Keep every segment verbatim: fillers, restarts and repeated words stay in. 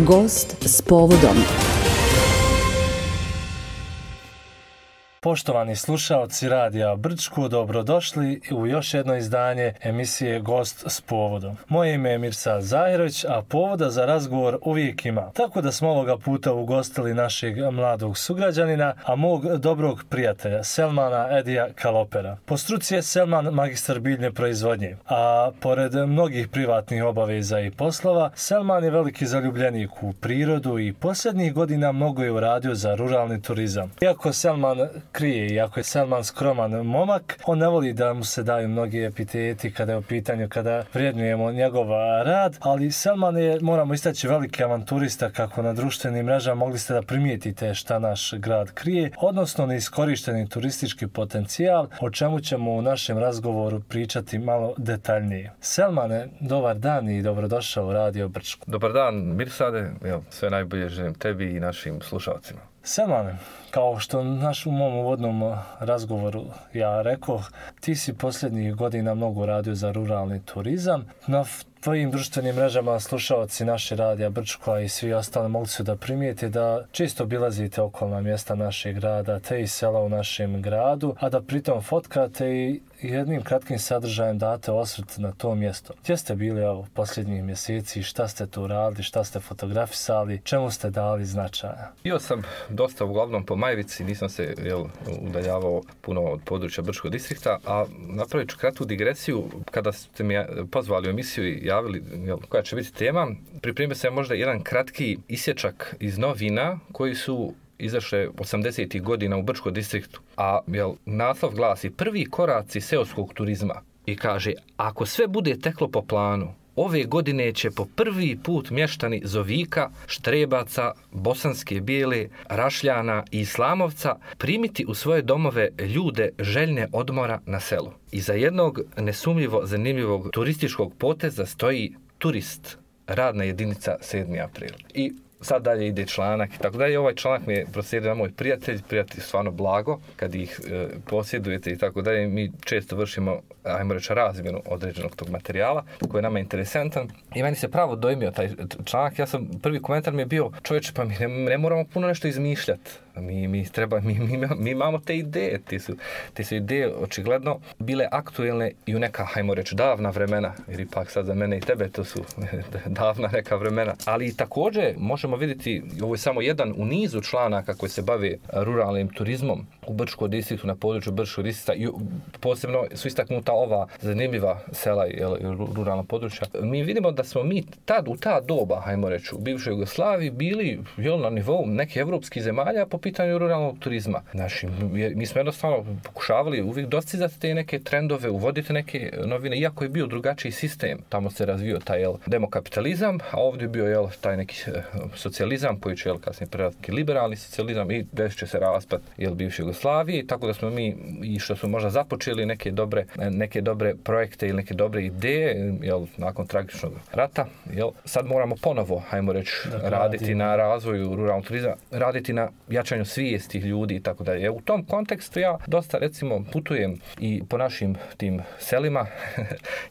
Gost s povodom. Poštovani slušaoci Radija Brčko, dobrodošli u još jedno izdanje emisije Gost s povodom. Moje ime je Mirsad Zahirović, a povoda za razgovor uvijek ima. Tako da smo ovoga puta ugostili našeg mladog sugrađanina, a mog dobrog prijatelja, Selmana Edija Kalopera. Po struci je Selman magistar biljne proizvodnje, a pored mnogih privatnih obaveza i poslova, Selman je veliki zaljubljenik u prirodu i posljednjih godina mnogo je uradio za ruralni turizam. Iako Selman krije, iako je Selman skroman momak, on ne voli da mu se daju mnogi epiteti kada je u pitanju, kada vrijednujemo njegov rad, ali Selman je, moramo istaći, veliki avanturista, kako na društvenim mrežama mogli ste da primijetite šta naš grad krije, odnosno neiskorišteni turistički potencijal, o čemu ćemo u našem razgovoru pričati malo detaljnije. Selmane, dobar dan i dobrodošao u Radio Brčko. Dobar dan, Mirsade, evo, sve najbolje želim tebi i našim slušalcima. Selmane, kao što naš u mom uvodnom razgovoru ja rekao, ti si posljednjih godina mnogo radio za ruralni turizam. Na tvojim društvenim mrežama slušalci naše Radija Brčko i svi ostali mogli su da primijete da često obilazite okolna mjesta našeg grada, te i sela u našem gradu, a da pritom fotkate i jednim kratkim sadržajem date osvrt na to mjesto. Gdje ste bili evo, posljednjih mjeseci, šta ste tu radili, šta ste fotografisali, čemu ste dali značaja? Bio sam dosta uglavnom po Majvici, nisam se jel, udaljavao puno od područja Brčkog distrikta, a napravit ću kratku digresiju. Kada ste mi pozvali u emisiju i javili jel, koja će biti tema, pripremio sam možda jedan kratki isječak iz novina koji su izašle osamdesetih godina u Brčkom distriktu. A jel, naslov glasi Prvi koraci seoskog turizma. I kaže, ako sve bude teklo po planu, ove godine će po prvi put mještani Zovika, Štrebaca, Bosanske Bijele, Rašljana i Islamovca primiti u svoje domove ljude željne odmora na selu. Iza jednog nesumljivo zanimljivog turističkog poteza stoji turist, radna jedinica sedmi april. I sad dalje ide članak i tako dalje. Ovaj članak mi je proslijedio moj prijatelj, prijatelj stvarno blago, kad ih e, posjedujete i tako dalje. Mi često vršimo, ajmo reći, razmjenu određenog tog materijala koji je nama interesantan. I meni se pravo dojmio taj članak. Ja sam, prvi komentar mi je bio, čovječe, pa mi ne, ne moramo puno nešto izmišljati. Mi, mi, treba, mi, mi, mi imamo te ideje. Te su, te su ideje očigledno bile aktuelne i u neka, hajmo reći, davna vremena. Jer ipak sad za mene i tebe to su davna neka vremena. Ali također možemo vidjeti, ovo je samo jedan u nizu članaka koji se bave ruralnim turizmom u Brčkom distriktu, na području Brčkog distrikta i posebno su istaknuta ova zanimljiva sela i ruralna područja. Mi vidimo da smo mi tad, u ta doba, hajmo reći, u bivšoj Jugoslaviji bili jel, na nivou nekih evropskih zemalja po pitanju ruralnog turizma. Znači, mi smo jednostavno pokušavali uvijek dostizati te neke trendove, uvoditi neke novine, iako je bio drugačiji sistem. Tamo se razvio taj jel, demokapitalizam, a ovdje je bio jel, taj neki socijalizam, koji će jel, kasnije prevratiti liberalni socijalizam i desit će se raspad jel, bivše Jugoslavije, tako da smo mi, i što smo možda započeli neke dobre, neke dobre projekte ili neke dobre ideje, jel, nakon tragičnog rata, jel, sad moramo ponovo, hajmo reći, dakle, raditi radi. na razvoju ruralnog turizma, raditi na jačanju svijesti ljudi i tako dalje. U tom kontekstu ja dosta, recimo, putujem i po našim tim selima.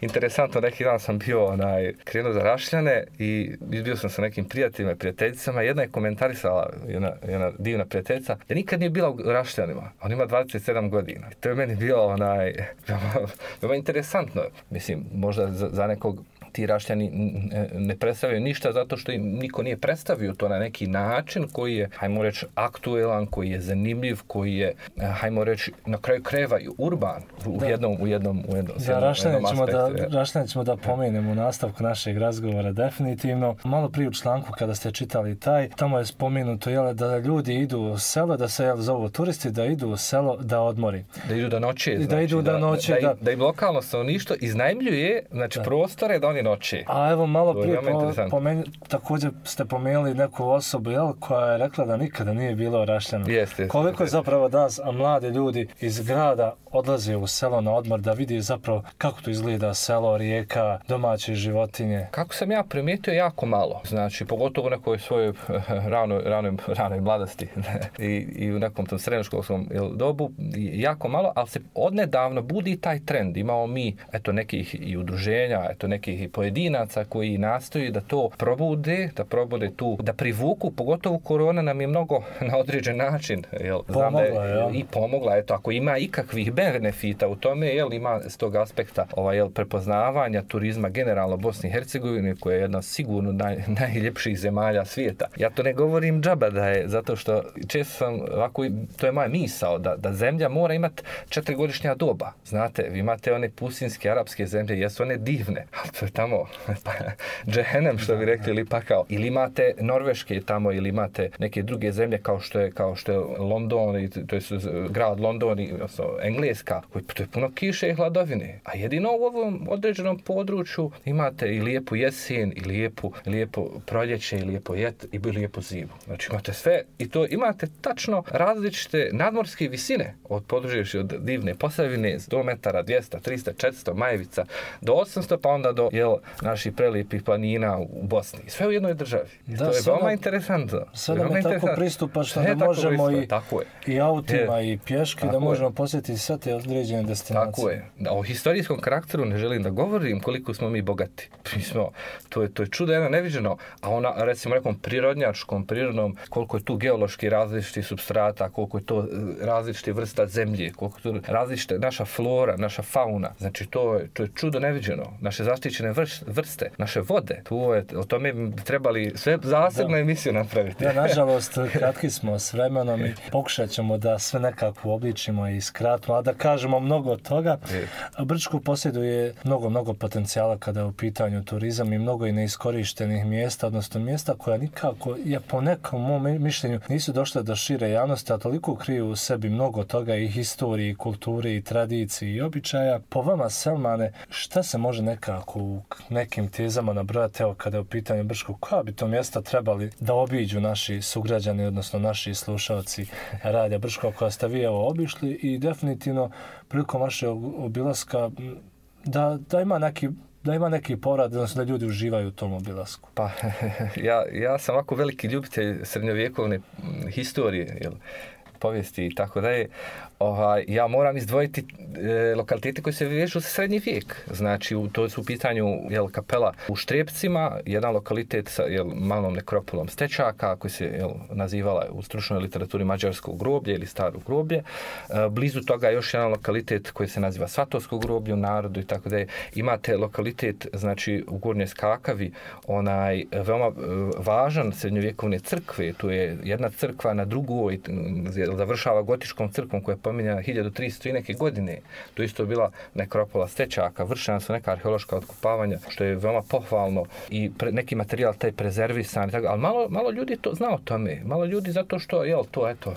Interesantno, neki dan sam bio onaj, krenuo za Rašljane i bio sam sa nekim prijateljima i prijateljicama. Jedna je komentarisala, jedna, jedna divna prijateljica, da nikad nije bila u Rašljanima. On ima dvadeset sedam godina. To je meni bilo onaj, veoma interesantno. Mislim, možda za, za nekog ti Rašljani ne predstavljaju ništa zato što im niko nije predstavio to na neki način koji je, hajmo reći, aktuelan, koji je zanimljiv, koji je, hajmo reći, na kraju krajeva i urban u da. jednom u jednom u jednom, da, Rašljane ćemo da Rašljane ćemo da pomenemo u nastavku našeg razgovora definitivno. Malo prije u članku kada ste čitali taj, tamo je spomenuto jel, da ljudi idu u selo, da se jel, zovu turisti, da idu u selo da odmori. Da idu da noće, znači, da idu da, da noće, da, da, da im lokalno stanovništvo iznajmljuje, znači da. prostore da oni noći. A evo malo prije po, pomen, također ste pomenuli neku osobu jel, koja je rekla da nikada nije bila u Rašljanu. Jest, jest, Koliko je jest. zapravo danas mladi ljudi iz grada odlaze u selo na odmor da vidi zapravo kako to izgleda selo, rijeka, domaće životinje? Kako sam ja primijetio, jako malo. Znači, pogotovo u nekoj svojoj ranoj, ranoj, ranoj mladosti I, i u nekom tom srednjoškolskom dobu, jako malo, ali se odnedavno budi taj trend. Imamo mi eto, nekih i udruženja, eto, nekih i pojedinaca koji nastoji da to probude, da probude tu, da privuku, pogotovo korona nam je mnogo na određen način, jel, znam da je, ja. i pomogla, eto, ako ima ikakvih benefita u tome, jel, ima s tog aspekta ovaj, jel, prepoznavanja turizma generalno Bosni i Hercegovine, koja je jedna sigurno naj, najljepših zemalja svijeta. Ja to ne govorim džaba da je, zato što često sam, ovako, to je moja misao, da, da zemlja mora imati četiri-godišnja doba. Znate, vi imate one pustinske arapske zemlje, jesu one divne, ali to je tamo džehennem, što bi rekli, ili pa kao, ili imate norveške tamo, ili imate neke druge zemlje kao što je, kao što je London, i to je grad London, i odnosno Engleska, koji to je puno kiše i hladovine. A jedino u ovom određenom području imate i lijepu jesen, i lijepu, lijepo proljeće, i lijepo jet, i lijepu zimu. Znači imate sve, i to imate tačno različite nadmorske visine od područja od divne Posavine do metara dvjesto, tristo, četiristo, Majevica do osamsto, pa onda do jel, naših prelijepih planina u Bosni. Sve u jednoj državi. Da, to je veoma da, interesantno. Sve nam je tako pristupačno da možemo i, i autima je. i pješki tako da možemo je. posjetiti sve te određene destinacije. Tako je. O historijskom karakteru ne želim da govorim koliko smo mi bogati. Mi smo, to je, to je čudo jedno neviđeno, a ona, recimo nekom prirodnjačkom, prirodnom, koliko je tu geološki različiti substrata, koliko je to različite vrsta zemlje, koliko je to različite naša flora, naša fauna. Znači to je, to je čudo neviđeno. Naše zaštićene vrste, naše vode. Tu je, o tome bi trebali sve zasebnu emisiju napraviti. Ja, nažalost, kratki smo s vremenom i pokušat ćemo da sve nekako obličimo i skratimo, a da kažemo mnogo toga. Brčko posjeduje mnogo, mnogo potencijala kada je u pitanju turizam i mnogo i neiskorištenih mjesta, odnosno mjesta koja nikako, je po nekom mom mišljenju, nisu došle do šire javnosti, a toliko kriju u sebi mnogo toga i historije, i kulture, i tradicije, i običaja. Po vama, Selmane, šta se može nekako u nekim tezama nabrojati, evo kada je u pitanju Brčko, koja bi to mjesta trebali da obiđu naši sugrađani, odnosno naši slušalci Radija Brčko, koja ste vi evo obišli i definitivno prilikom vašeg obilaska da, da ima neki da ima neki povrat, odnosno da ljudi uživaju u tom obilasku? Pa, ja, ja sam ovako veliki ljubitelj srednjovjekovne historije, jel, povijesti i tako da je. Ovaj, ja moram izdvojiti e, lokalitete koji se vežu za srednji vijek. Znači, u, to su u pitanju jel, kapela u Štrijepcima, jedan lokalitet sa jel, malom nekropolom Stečaka, koji se jel, nazivala u stručnoj literaturi Mađarsko groblje ili Staro groblje. E, blizu toga još jedan lokalitet koji se naziva Svatovsko groblje u narodu i tako da je. Imate lokalitet, znači, u Gornjoj Skakavi, onaj veoma važan srednjovjekovne crkve. Tu je jedna crkva na drugoj, završava gotičkom crkvom koja je pominjena hiljadu tristo i neke godine. To isto bila nekropola Stečaka, vršena su neka arheološka otkopavanja, što je veoma pohvalno i pre, neki materijal taj prezervisan, tako, ali malo, malo ljudi to zna o tome. Malo ljudi zato što, jel, to, eto,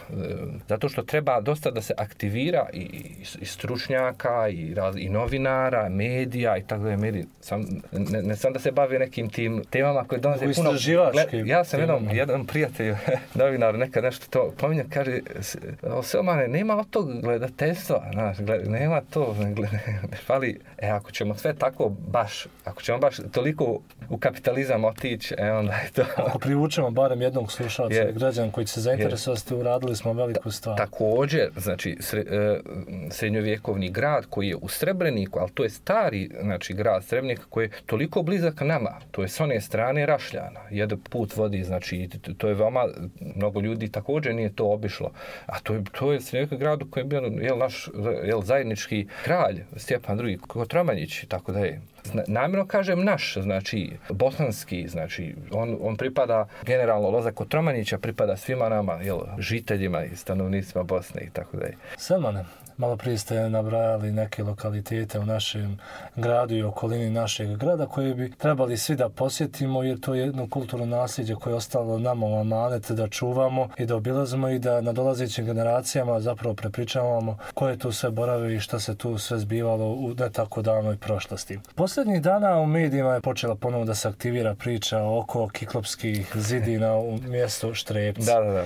zato što treba dosta da se aktivira i, i stručnjaka, i, raz, i novinara, medija i tako da je mediji. Sam, ne, ne sam da se bave nekim tim temama koje donose puno... Gled, ja sam jednom, jedan prijatelj, novinar, nekad nešto to pominja, kaže, Selmane, nema od tog gledateljstva, znaš, gled, nema to, gled, fali, e, ako ćemo sve tako baš, ako ćemo baš toliko u kapitalizam otići, e, onda je to... Ako privučemo barem jednog slušalca i građana koji će se zainteresovati, uradili smo veliku stvar. Također, znači, sre, e, srednjovjekovni grad koji je u Srebreniku, ali to je stari, znači, grad Srebrenik koji je toliko blizak nama, to je s one strane Rašljana, jedan put vodi, znači, to je veoma, mnogo ljudi također nije to obišlo, a to je, to je srednjovjekovni grad u kojem je bio jel, naš jel, zajednički kralj Stjepan drugi. Kotromanić, tako da je. Namjerno kažem naš, znači bosanski, znači on, on pripada generalno Loza Kotromanića, pripada svima nama, jel, žiteljima i stanovnicima Bosne i tako da je. Selmane, malo prije ste nabrajali neke lokalitete u našem gradu i okolini našeg grada koje bi trebali svi da posjetimo jer to je jedno kulturno nasljeđe koje je ostalo nama u amanet da čuvamo i da obilazimo i da nadolazećim generacijama zapravo prepričavamo koje tu sve borave i šta se tu sve zbivalo u ne tako davnoj prošlosti. Posljednjih dana u medijima je počela ponovno da se aktivira priča oko kiklopskih zidina u mjestu Štrijepci. Da, da, da.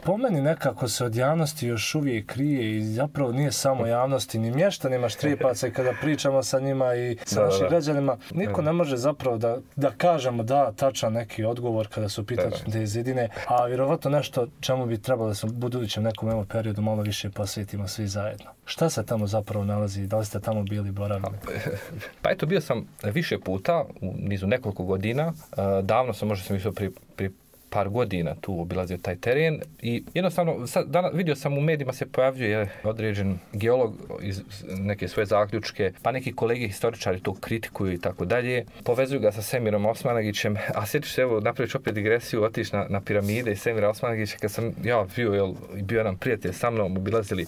po meni nekako se od javnosti još uvijek krije i zapravo nije samo javnosti, ni mještanima Štrepaca i kada pričamo sa njima i sa da, našim da. građanima, niko ne može zapravo da, da kažemo da tačan neki odgovor kada su pitanje te zidine, a vjerovatno nešto čemu bi trebalo da se u budućem nekom evo periodu malo više posvetimo svi zajedno. Šta se tamo zapravo nalazi? Da li ste tamo bili boravili? Pa eto, bio sam više puta, u nizu nekoliko godina. Davno sam, možda sam išao pri, pri par godina tu obilazio taj teren i jednostavno sad, danas, vidio sam u medijima se pojavljuje određen geolog iz neke svoje zaključke, pa neki kolege historičari to kritikuju i tako dalje. Povezuju ga sa Semirom Osmanagićem, a sjetiš se, evo, napraviš opet digresiju, otiš na, na piramide i Semira Osmanagića, kad sam ja bio, jel, bio jedan prijatelj sa mnom, obilazili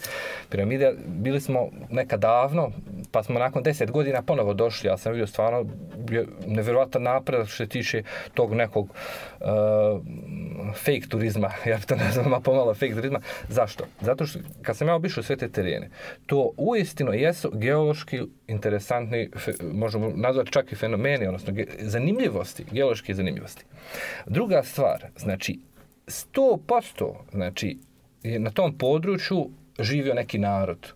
piramide, bili smo nekad davno, pa smo nakon deset godina ponovo došli, ja sam vidio stvarno nevjerojatan napredak što se tiče tog nekog uh, fake turizma, ja bih to nazvao pomalo fake turizma. Zašto? Zato što kad sam ja obišao sve te terene, to uistinu jesu geološki interesantni, možemo nazvati čak i fenomeni, odnosno zanimljivosti, geološke zanimljivosti. Druga stvar, znači sto posto znači, je na tom području živio neki narod.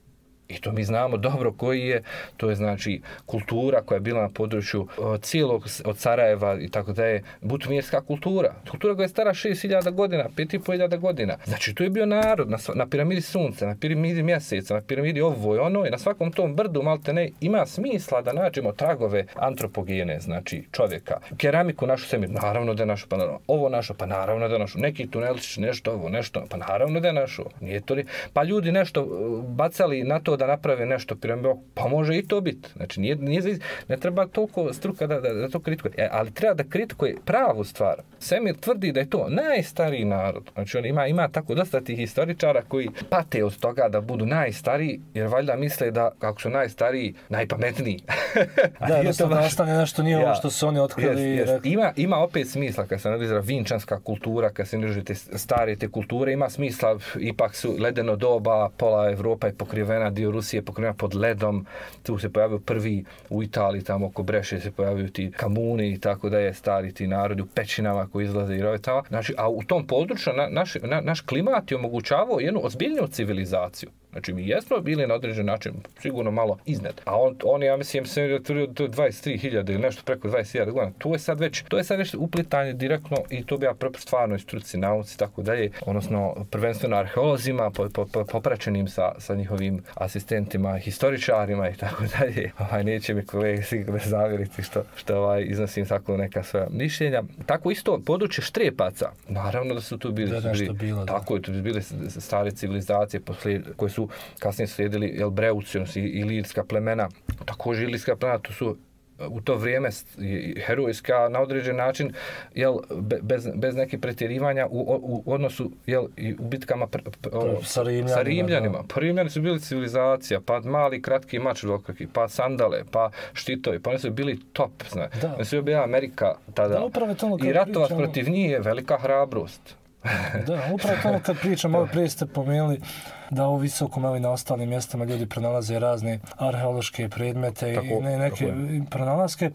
I to mi znamo dobro koji je, to je znači kultura koja je bila na području cijelog od Sarajeva i tako da je butumirska kultura. Kultura koja je stara šest hiljada godina, pet i pol hiljada godina. Znači to je bio narod na, na piramidi sunca, na piramidi mjeseca, na piramidi ovo i ono i na svakom tom brdu malte ne ima smisla da nađemo tragove antropogene, znači čovjeka. Keramiku našu Semir, naravno da je našu, pa naravno, ovo našu, pa naravno da je našu. Neki tunelić, nešto ovo, nešto, pa naravno da je našu. Nije to li... Pa ljudi nešto bacali na to da naprave nešto piramidu, pa može i to biti. Znači, nije, nije, ne treba toliko struka da, da, da to kritikuje. E, ali treba da kritikuje pravu stvar. Semir tvrdi da je to najstariji narod. Znači, on ima, ima tako dosta tih historičara koji pate od toga da budu najstariji, jer valjda misle da, kako su najstariji, najpametniji. Da, jednostavno baš... ostane nešto nije ja, ovo što su oni otkrili. Jest, jest. Ima, ima opet smisla, kad se analizira vinčanska kultura, kad se analizira te stare te kulture, ima smisla, ipak su ledeno doba, pola Evropa je pokrivena, dio Rusije je pokrivena pod ledom, tu se pojavio prvi u Italiji, tamo oko Breše se pojavio ti kamuni i tako da je stari ti narodi u pećinama koji izlaze i rove tamo. Znači, a u tom području na, naš, na, naš klimat je omogućavao jednu ozbiljniju civilizaciju. Znači, mi jesmo bili na određen način sigurno malo iznad. A on, on ja mislim, se otvorio do dvadeset tri hiljade ili nešto preko dvadeset hiljada godina. To je sad već, to je sad već uplitanje direktno i to bi ja stvarno struci, nauci, tako dalje, odnosno prvenstveno arheolozima, po, po, po, popraćenim sa, sa njihovim asistentima, historičarima i tako dalje. Ovaj, neće mi kolege sigurno zavjeriti što, što ovaj, iznosim tako neka svoja mišljenja. Tako isto područje Štrepaca. Naravno da su tu bili, da, su bili bilo, tako je, tu bili stare civilizacije posle, koje su kasnije slijedili jel, Breuci i ilirska plemena. Također ilirska plemena, to su u to vrijeme herojska na određen način jel, bez, bez neke pretjerivanja u, u, u odnosu jel, i u bitkama pre, o, sa Rimljanima. Sa Rimljanima. Pa Rimljani su bili civilizacija, pa mali kratki mač veliki, pa sandale, pa štitovi, pa oni su bili top. Zna. Oni su bili Amerika tada. Da, i ratovat protiv njih je velika hrabrost. Da, upravo to kad pričam, ovo prije ste pomenuli da u visokom, ali na ostalim mjestima ljudi pronalaze razne arheološke predmete tako, i ne, neke pronalaske,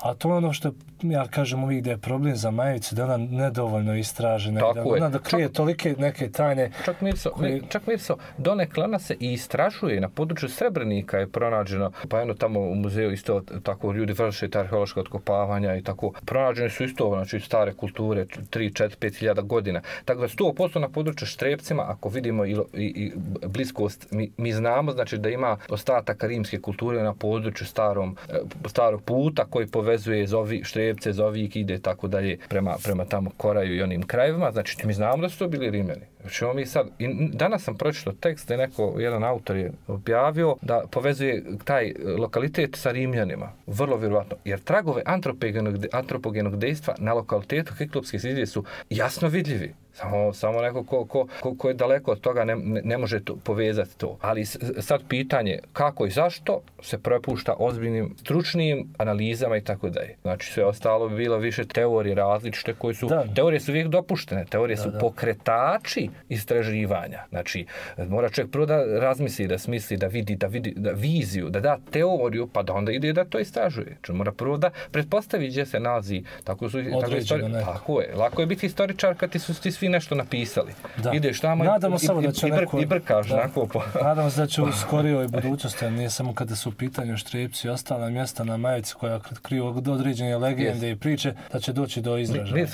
a to je ono što ja kažem uvijek da je problem za Majevicu, da ona nedovoljno istražena, da ona da krije čak, tolike neke tajne. Čak Mirso, koje... čak Mirso, donekle ona se i istražuje, na području Srebrenika je pronađeno, pa jedno tamo u muzeju isto tako ljudi vrše ta arheološka otkopavanja i tako, pronađene su isto znači stare kulture, tri, četiri, pet hiljada godina. Tako da sto posto na području Štrepcima, ako vidimo i, i, i bliskost, mi, mi znamo znači da ima ostataka rimske kulture na području starom, starog puta koji povezuje Zovi, Štrebce, Zovik, ide tako dalje prema, prema tamo Koraju i onim krajevima. Znači mi znamo da su to bili Rimljani. Znači mi sad, i danas sam pročitao tekst da neko, jedan autor je objavio da povezuje taj lokalitet sa Rimljanima. Vrlo vjerovatno. Jer tragove antropogenog, antropogenog dejstva na lokalitetu Kiklopske zidine su jasno vidljivi. Samo, samo neko ko, ko, ko, ko je daleko od toga ne, ne, ne može to, povezati to. Ali sad pitanje kako i zašto se prepušta ozbiljnim stručnim analizama i tako dalje. Znači sve ostalo bi bilo više teorije različite koje su, da. Teorije su uvijek dopuštene, teorije da, su da. pokretači istraživanja. Znači mora čovjek prvo da razmisli, da smisli, da vidi, da vidi da viziju, da da teoriju, pa da onda ide da to istražuje. Znači mora prvo da pretpostavi gdje se nalazi. Tako su, tako, istori... tako je. Lako je biti historičar kad ti su ti svi svi nešto napisali. Da. Ideš tamo i, Nadamo i, samo da će i, br, neko, i brkaš da. onako po... Nadamo se da će u skorijoj budućnosti, nije samo kada su u pitanju Štrijepci i ostala mjesta na majici koja kriju određene legende yes. i priče, da će doći do izražaja.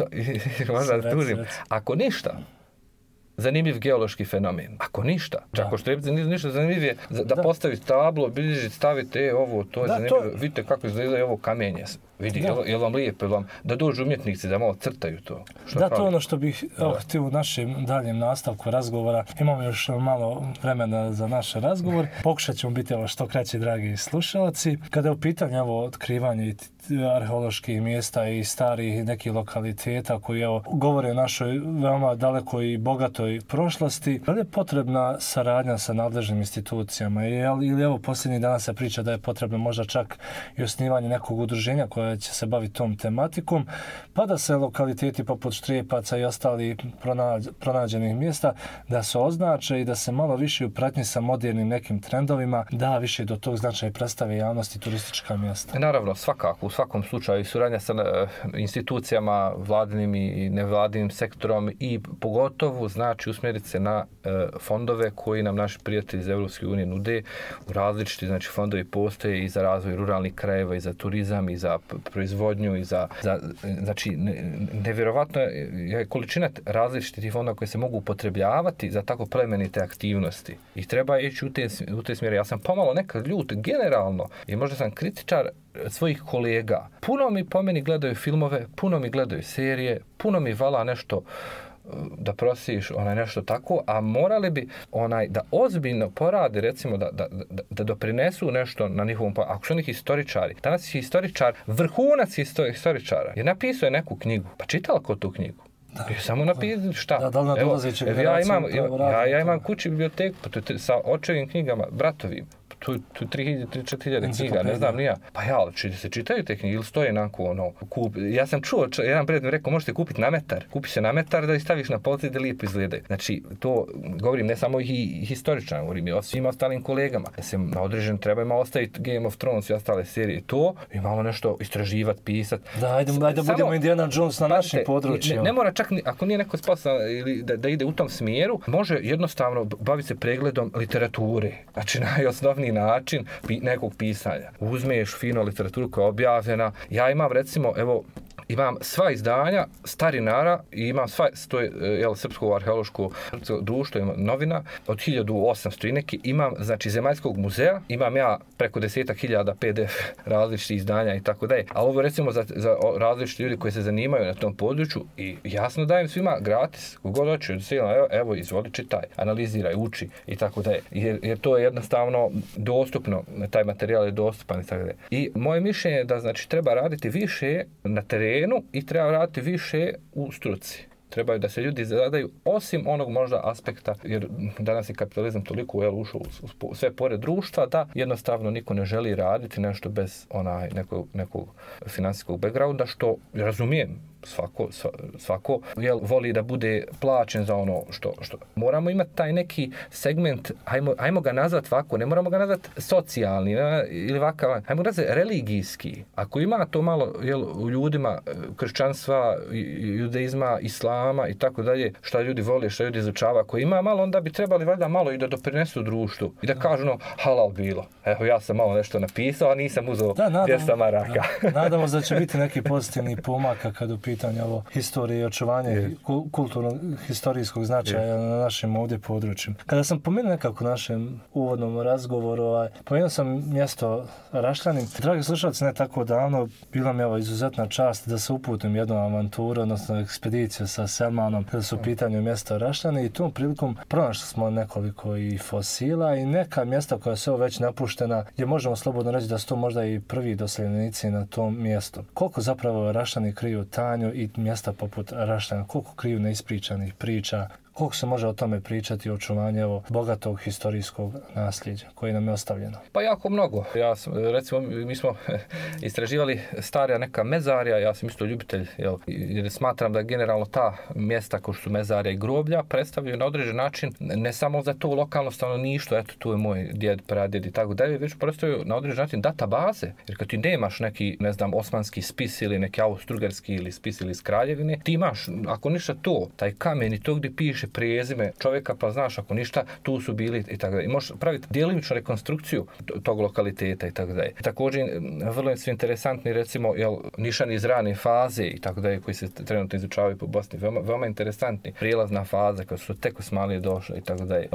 Možda da tužim. Ako ništa, zanimljiv geološki fenomen. Ako ništa, čak Štrijepci ništa zanimljiv je da, da postaviti tablo, bilježiti, staviti e, ovo, to je da, zanimljivo. To... Vidite kako izgleda ovo kamenje. Vidi, je li vam lijepo, vam, da dođu umjetnici da malo crtaju to. Što da, to je ono što bih oh, htio u našem daljem nastavku razgovora. Imamo još malo vremena za naš razgovor. Pokušat ćemo biti ovo što kraće, dragi slušalci. Kada je u pitanju ovo otkrivanje arheoloških mjesta i starih nekih lokaliteta koji evo, govore o našoj veoma dalekoj i bogatoj prošlosti, da li je potrebna saradnja sa nadležnim institucijama? Ili evo posljednjih dana se priča da je potrebno možda čak i osnivanje nekog udruženja koje će se baviti tom tematikom, pa da se lokaliteti poput Štrijepaca i ostali pronađ, pronađenih mjesta da se označe i da se malo više upratnji sa modernim nekim trendovima, da više do tog značaja predstave javnosti turistička mjesta. Naravno, svakako, u svakom slučaju suradnja sa institucijama, vladinim i nevladinim sektorom i pogotovo znači usmjeriti se na e, fondove koji nam naši prijatelji iz Europske unije nude. U različiti znači fondovi postoje i za razvoj ruralnih krajeva i za turizam i za proizvodnju i za, za znači nevjerovatno je količina različitih fondova koje se mogu upotrebljavati za tako plemenite aktivnosti. I treba ići u te, u te smjere. Ja sam pomalo nekad ljut generalno i možda sam kritičar svojih kolega. Puno mi po meni gledaju filmove, puno mi gledaju serije, puno mi vala nešto da prosiš onaj nešto tako, a morali bi onaj da ozbiljno porade, recimo da, da, da, da doprinesu nešto na njihovom, ako su oni historičari. Danas je historičar, vrhunac historičara, je napisao je neku knjigu. Pa čitala ko tu knjigu? Da. Je samo napisati šta? Da, da li evo, evo, ja imam, ja, ja, ja imam kući biblioteku sa očevim knjigama, bratovim. Tu, tu tri hiljade, četiri hiljade knjiga, ne znam ni ja. Pa ja, ali či se čitaju te knjige ili stoje onako, ono, kup. Ja sam čuo, č, jedan prijatelj mi rekao, možete kupiti na metar. Kupi se na metar da ih staviš na polici da lijepo izgledaju. Znači, to govorim ne samo i historičan, govorim i o svim ostalim kolegama. Da se na određen treba ima ostaviti Game of Thrones i ostale serije. To i malo nešto istraživati, pisati. Da, ajde, ajde da budemo Indiana Jones na našim područjima. Ne, ne mora čak, ako nije neko sposoban ili da, da ide u tom smjeru, može jednostavno baviti se pregledom literature. Znači, najosnovniji način nekog pisanja. Uzmeš fino literaturu koja je objavljena. Ja imam recimo, evo, imam sva izdanja starinara i imam sva, to je jel, Srpsko arheološko društvo, ima novina od hiljadu osamsto i neki, imam znači Zemaljskog muzeja, imam ja preko desetak hiljada P D F različitih izdanja i tako dalje. Ali ovo recimo za, za različiti ljudi koji se zanimaju na tom području i jasno dajem svima gratis, kogod hoće, evo, evo izvoli čitaj, analiziraj, uči i tako dalje. Jer, jer to je jednostavno dostupno, taj materijal je dostupan i tako dalje. I moje mišljenje je da znači treba raditi više na terenu i treba raditi više u struci. Trebaju da se ljudi zadaju osim onog možda aspekta, jer danas je kapitalizam toliko jel, ušao u, u sve pored društva da jednostavno niko ne želi raditi nešto bez onaj nekog, nekog finansijskog backgrounda, što razumijem. Svako, svako jel, voli da bude plaćen za ono što, što. Moramo imati taj neki segment, ajmo, ajmo ga nazvati ovako, ne moramo ga nazvati socijalni ne, ili ovakav, ajmo ga nazvati religijski. Ako ima to malo jel, u ljudima kršćanstva, judaizma, islama i tako dalje, šta ljudi vole, šta ljudi izučava, ako ima malo, onda bi trebali valjda malo i da doprinesu društvu i da kažu no, halal bilo. Evo, ja sam malo nešto napisao, a nisam uzeo dvjesto maraka. Da, nadamo se da će biti neki pozitivni pomaka kad u pitanje ovo historije i očuvanje yeah. kulturnog historijskog značaja yeah. na našim ovdje područjima. Kada sam pomenuo nekako našem uvodnom razgovoru, ovaj, pomenuo sam mjesto Rašljanin. Dragi slušalci, ne tako davno bila mi ovo izuzetna čast da se uputim jednu avanturu, odnosno ekspediciju sa Selmanom kada su u pitanju mjesta Rašljani i tom prilikom pronašli smo nekoliko i fosila i neka mjesta koja su već napuštena, gdje možemo slobodno reći da su to možda i prvi doseljenici na tom mjestu. Koliko zapravo Rašljani kriju Tanju i mjesta poput Rašljana, koliko kriju neispričanih priča, Koliko se može o tome pričati o očuvanju ovog bogatog historijskog nasljeđa koji nam je ostavljeno? Pa jako mnogo. Ja sam, recimo, mi smo istraživali starija neka mezarja, ja sam isto ljubitelj, jel, jer smatram da generalno ta mjesta kao što su mezarja i groblja predstavljaju na određen način ne samo za to lokalno stanovništvo, eto tu je moj djed, pradjed i tako dalje, već predstavljaju na određen način databaze. Jer kad ti nemaš neki, ne znam, osmanski spis ili neki austrougarski ili spis ili iz Kraljevine, ti imaš, ako ništa to, taj kamen i to gdje piše prezime čovjeka, pa znaš, ako ništa, tu su bili i tako dalje. I možeš praviti djelimičnu rekonstrukciju tog lokaliteta i tako dalje. Također, vrlo su interesantni, recimo, jel, nišani iz rane faze i tako dalje, koji se trenutno izučavaju po Bosni. Veoma, veoma interesantni. Prijelazna faza, kad su tek Osmanlije došle i tako dalje.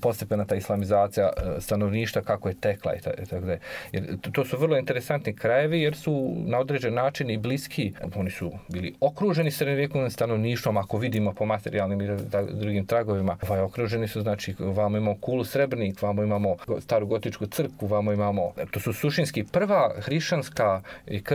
Postepena ta islamizacija stanovništva, kako je tekla i tako dalje. Jer to su vrlo interesantni krajevi, jer su na određen način i bliski. Oni su bili okruženi srednjovjekovnim stanovništvom, ako vidimo po materijalnim i drugim tragovima. Ovaj, okruženi su, znači, vamo imamo Kulu Srebrnik, vamo imamo staru gotičku crkvu, vamo imamo, to su suštinski prva hrišćanska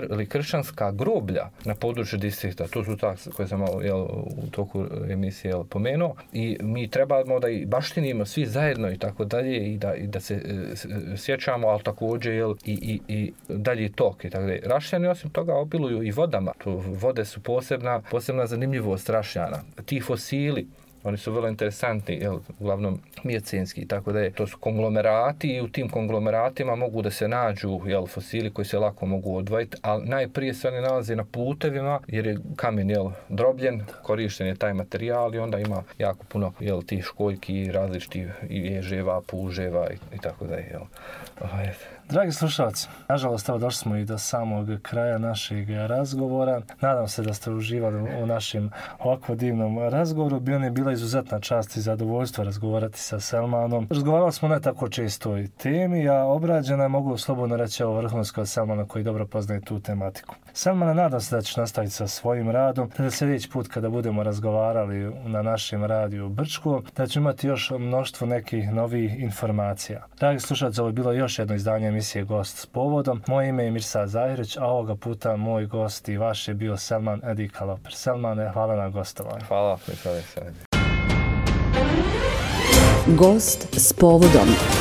ili kršćanska groblja na području distrikta. To su ta koje sam jel, u toku emisije jel, pomenuo. I mi trebamo da i baštinimo svi zajedno i tako dalje i da, i da se e, sjećamo, ali također jel, i, i, i dalje tok i tako dalje. Rašljani osim toga obiluju i vodama. To vode su posebna, posebna zanimljivost Rašljana. Ti fosili, oni su vrlo interesantni, jel, uglavnom mijecenski, tako da je, to su konglomerati i u tim konglomeratima mogu da se nađu jel, fosili koji se lako mogu odvojiti, ali najprije se oni nalaze na putevima jer je kamen jel, drobljen, korišten je taj materijal i onda ima jako puno jel, tih školjki, različitih ježeva, puževa i, i tako da je. Jel. Oh, Dragi slušalci, nažalost, evo došli smo i do samog kraja našeg razgovora. Nadam se da ste uživali u našem ovako divnom razgovoru. Bio je bila izuzetna čast i zadovoljstvo razgovarati sa Selmanom. Razgovarali smo ne tako često o temi, a obrađena je, mogu slobodno reći, ovo vrhunsko Selmana koji dobro poznaje tu tematiku. Selmana, nadam se da ćeš nastaviti sa svojim radom, da sljedeći put kada budemo razgovarali na našem radiju u Brčku, da ćemo imati još mnoštvo nekih novih informacija. Dragi slušalci, ovo je bilo još jedno izdanje emisije Gost s povodom. Moje ime je Mirsad Zahirić, a ovoga puta moj gost i vaš je bio Selman Edikaloper. Selmane, hvala na gostovanju. Hvala, Mirsad Zahirić. Gost s povodom.